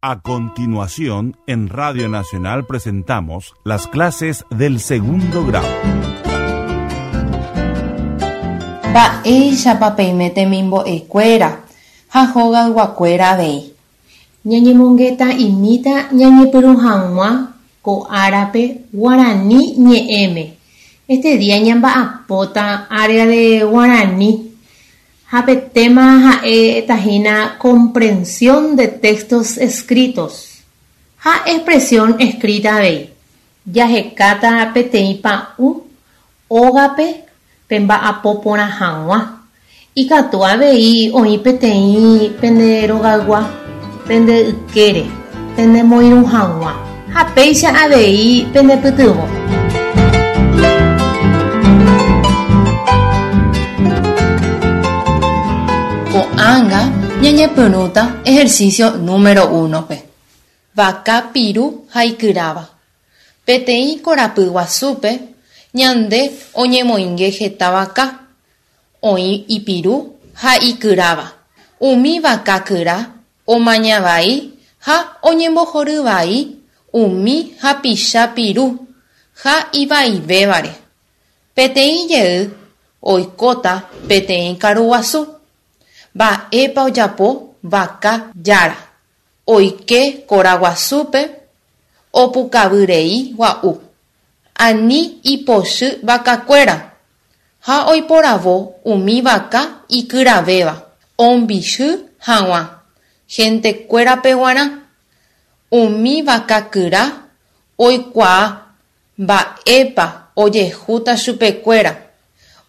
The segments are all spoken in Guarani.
A continuación, en Radio Nacional presentamos las clases del segundo grado. Mba'éichapa peime temimbo'ekuéra ha hogayguakuéra avei. Ñañemongeta'imíta ñañepyrũ hag̃ua ko árape guarani ñe'ẽme. Este día ñamba'apóta área de guarani ha pe tema ha'éta hína comprensión de textos escritos ha expresión escrita avei. Jahekáta peteĩ pa'ũ ógape pemba'apo porã hag̃ua. Ikatu avei oĩ peteĩ pende rogaygua pende ykére penemoirũ hag̃ua ha péicha avei penepytyvõ. Ko'ág̃a ñañepyrũta ejercicio número uno-pe. Vaka piru ha ikyráva. Peteĩ korapy guasúpe ñande oñemoinge heta vaka, oĩ ipiru ha ikyráva. Umi vaka kyra omaña vai ha oñembohory vai umi hapicha piru ha ivaivévare. Peteĩ jey oikóta peteĩ karu guasu. Mba'épa ojapo vaka jára? Oike kora guasúpe opukavyrei gua'u, ani ipochy vakakuéra, ha oiporavo umi vaka ikyravéva ombichy hag̃ua hentekuérape g̃uarã. Umi vaka kyra oikuaa mba'épa ojehúta chupekuéra,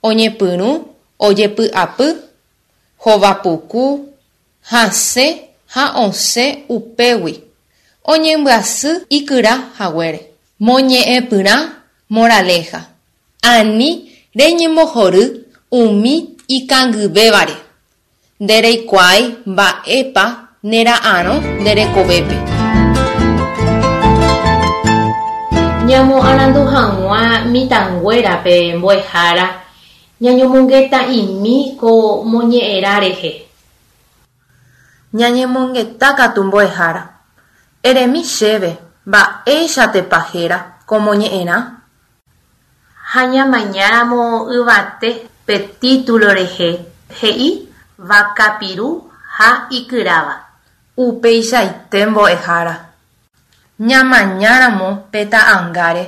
oñepyrũ ojepy'apy, hova puku, Hasẽ ha osẽ upégui, oñembyasy ikyra haguére. Moñe'ẽpyrã moraleja, ani reñembohory umi ikangyvévare, ndereikuaái mba'épa nera'arõ nde rekovépe. Ñamoarandu hag̃ua mitãnguérape mbo'ehára ñañomongeta'imi ko moñe'ẽrã rehe. Ñañemongeta katu mbo'ehára. Eremi chéve mba'éichatepa héra ko moñe'ẽrã? Ha ñamañáramo yvate pe título rehe he'i vaka piru ha ikyráva. Upeichaite mbo'ehára. Ñamañáramo pe ta'angáre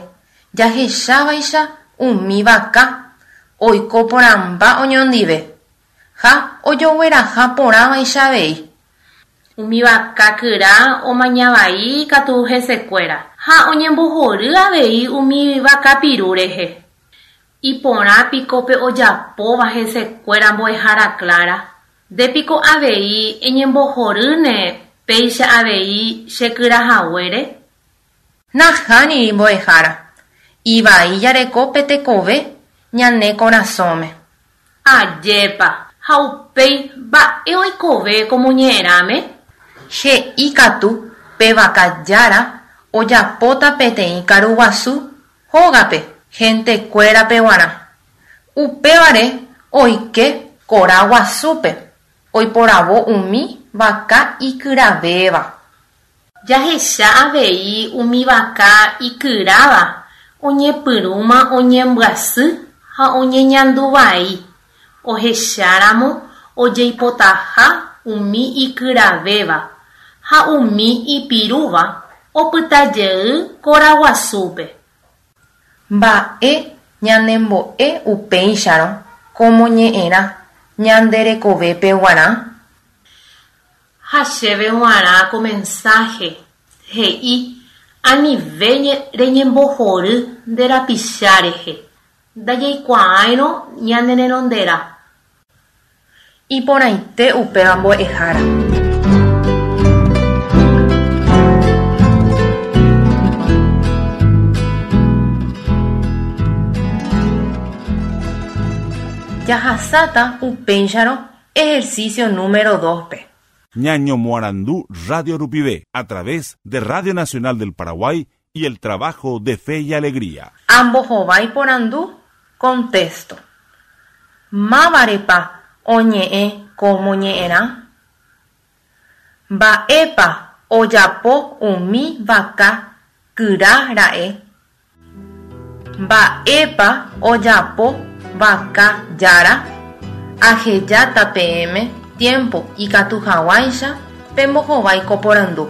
jahechávaicha umi vaka oiko porãmba oñondive Ha ojogueraha porãvaicha avei. Umi vaka kyra omaña vai katu hesekuéra, ha oñembohory avei umi vaka piru rehe. Iporã piko pe ojapóva hesekuéra mbo'ehára Clara? Nde piko avei eñembohorýne péicha avei che kyra haguére? Nahániri mbo'ehára, ivai jareko pe tekove ñane korasõme. Ajépa, ha upéi mba'e oikove ko moñe'ẽrãme? He'i katu pe vaka jára ojapóta peteĩ karu guasu hógape hentekuérape guarã. Upévare oike kora guasúpe oiporavo umi vaka ikyravéva. Jahecha avei umi vaka ikyráva oñepyrũma oñembyasy ha oñeñandu vai, ohecháramo ojeipotaha umi ikyravéva ha umi ipirúva opyta jey kora guasúpe. Mba'e ñanembo'e upéicharõ ko moñe'ẽrã ñande rekovépe guarã? Ha chéve g̃uarã ko mensáhe, he'i, Anive reñembohory nde rapicha rehe, ndajaikuaáirõ ñane renonderã. Iporãite upéva mbo'ehára. Jahasáta upéicharõ Ejercicio número dos-pe. Ñañomoarandu radio rupive, a través de Radio Nacional del Paraguay y el trabajo de Fe y Alegría. Ambohovái porandu, Contesto. Mávarepa oñe'ẽ ko moñe'ẽrã? Mba'épa ojapo umi vaka kyra ra'e? Mba'épa ojapo vaka jára? Ahejáta peẽme tiempo ikatu haguãicha pembohovái ko porandu.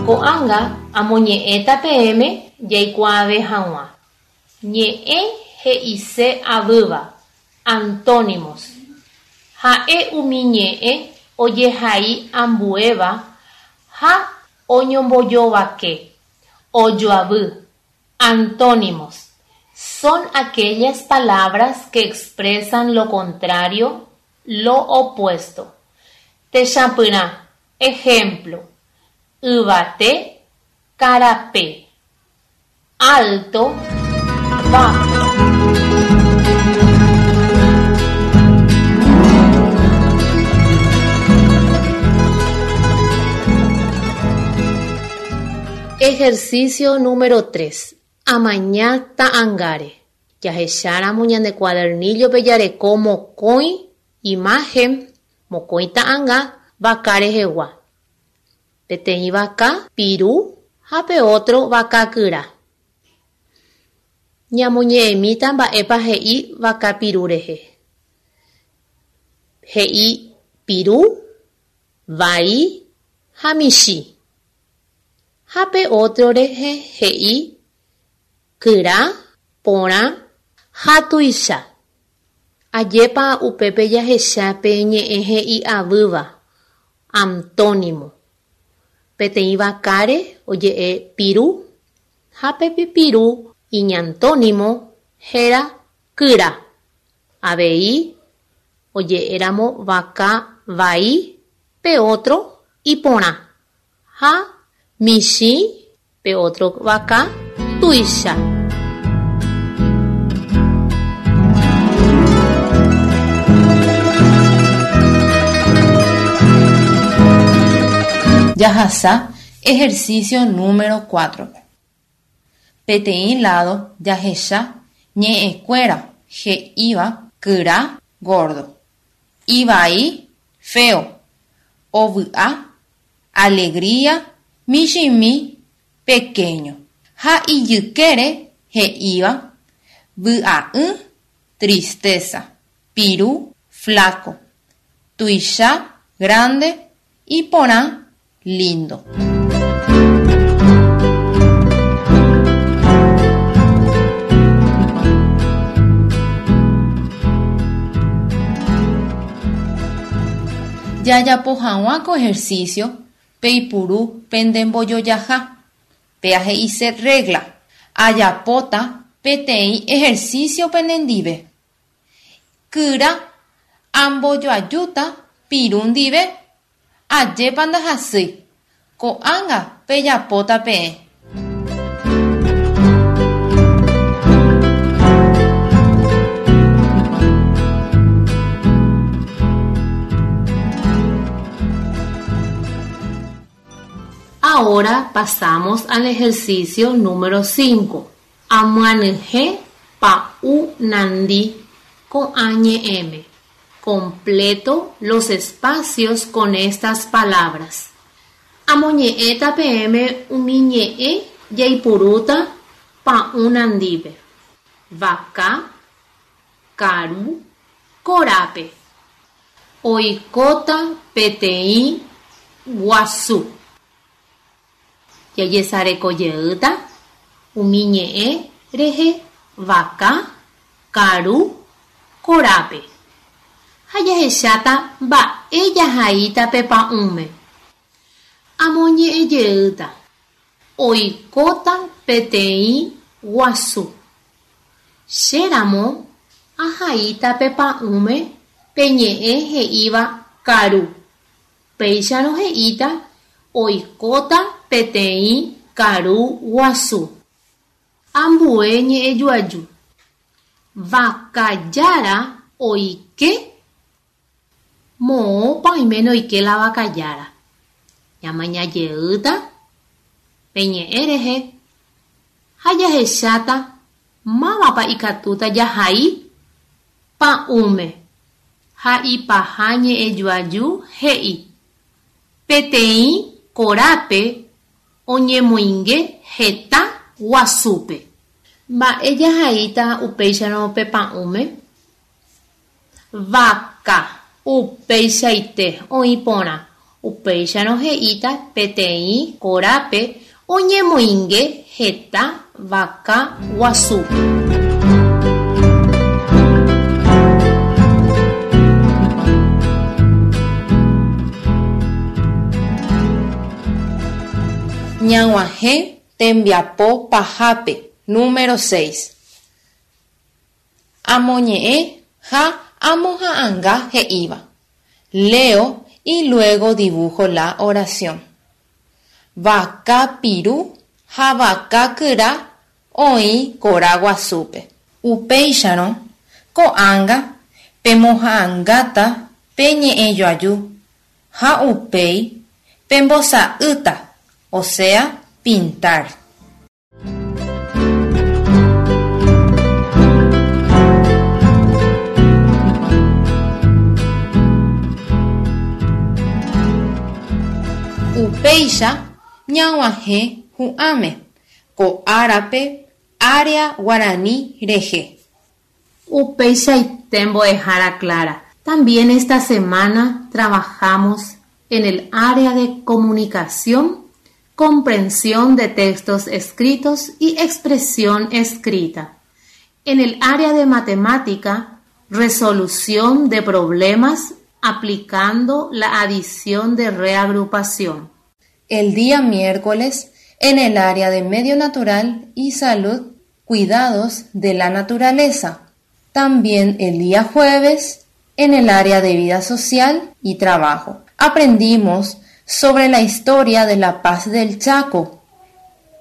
Ko'ág̃a amoñe'ẽta peẽme jaikuaave hag̃ua. Ñe'ẽ he'ise avýva, antónimos. Ha'e umi ñe'ẽ ojehai ambuéva ha oñombojovake, ojoavy, Antónimos. Son aquellas palabras que expresan lo contrario, lo opuesto. Techapyrã, ejemplo, Yvate, karape. Alto, bajo. Ejercicio número 3. Amaña ta'angáre. Jahecháramo ñande cuadernillo-pe jareko mokõi imagen, mokõi ta'anga vaka rehegua. Peteĩ vaka piru ha pe ótro vaka kyra. Ñamoñe'ẽmíta mba'épa he'i vaka piru rehe. He'i piru, vai ha michĩ. Ha pe ótro rehe he'i kyra, porã ha tuicha. Ajépa upépe jahecha pe ñe'ẽ he'i avýva, antónimo. Peteĩ vakáre oje'e piru ha pe piru iñantónimo héra kyra. Avei oje'éramo vaka vai pe ótro iporã ha michĩ pe ótro vaka tuicha. Jahasa ejercicio número 4-pe. Peteĩ lado jahecha ñe'ẽkuéra he'íva kyra, gordo, ivai, feo, ovy'a, alegría, michĩmi, pequeño, ha ijykére he'íva vy'a'ỹ, tristeza, piru, flaco, tuicha, grande, iporã, lindo. Jajapo hag̃ua ko ejercicio peipuru pende mbojojaha, péa he'ise regla. Ajapóta peteĩ ejercicio penendive. Kyra ambojoajúta piru ndive Ajépa ndahasýi, ko'ág̃a pejapóta peẽ. Ahora pasamos al ejercicio número 5. Amyanyhẽ pa'ũ nandi ko'ã ñe'ẽme. Completo los espacios con estas palabras. Amoñe'ẽta peẽme umi ñe'ẽ jaipurúta pa'ũ nandípe. Vaka, karu, korápe. Oikóta peteĩ guasu. Jajesarekojeýta umi ñe'ẽ rehe vaka, karu, korápe. Ha jahecháta mba'e jahaíta pe pa'ũme. Amoñe'ẽjeýta. Oikóta peteĩ guasu. Che ramo ahaíta pe pa'ũme pe ñe'ẽ he'íva karu. Péicharõ he'íta oikóta peteĩ karu guasu. Ambue ñe'ẽjoaju. Vaka jára oike Moõpa oiméne oike la vaka jára. Ñamaña jeýta pe ñe'ẽ rehe ha jahecháta mávapa ikatúta jahai. pa'ũme ha ipaha ñe'ẽjoaju he'i, Peteĩ korápe oñemoinge heta guasúpe. Mba'e jahaíta upéicharõ pe pa'ũme? Vaka, upeichaite, oĩ porã. Upéicharõ he'íta peteĩ korápe oñemoinge heta vaka guasúpe. Ñag̃uahẽ tembiapo pahápe número seis. Amoñe'ẽ ha amoha'anga he'íva. Leo y luego dibujo la oración. Vaka piru ha vaka kyra oĩ kora guasúpe. Upéicharõ, ko'ág̃a pemoha'angáta pe ñe'ẽjoaju ha upéi pembosa'ýta, osea, pintar. Upéicha ñag̃uahẽ hu'ãme ko árape área guarani rehe. Upeichaite mbo'ehára Clara. También esta semana trabajamos en el área de comunicación, comprensión de textos escritos y expresión escrita. En el área de matemática, resolución de problemas aplicando la adición de reagrupación. El día miércoles, en el área de medio natural y salud, cuidados de la naturaleza. También el día jueves, en el área de vida social y trabajo. Aprendimos sobre la historia de la paz del Chaco.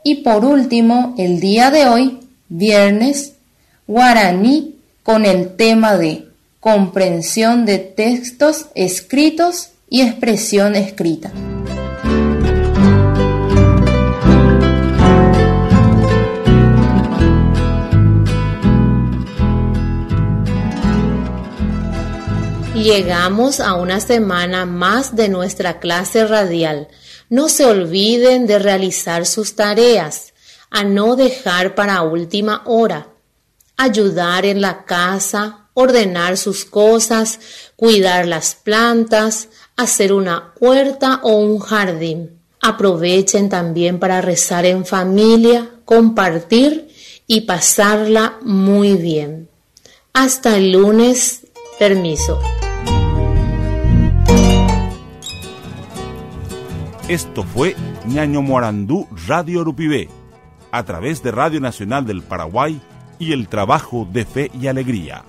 Y por último, el día de hoy, viernes, guaraní con el tema de comprensión de textos escritos y expresión escrita. Llegamos a una semana más de nuestra clase radial. No se olviden de realizar sus tareas, a no dejar para última hora. Ayudar en la casa, ordenar sus cosas, cuidar las plantas, hacer una huerta o un jardín. Aprovechen también para rezar en familia, compartir y pasarla muy bien. Hasta el lunes, permiso. Esto fue Ñaño Morandú Radio Rupivé, a través de Radio Nacional del Paraguay y el trabajo de Fe y Alegría.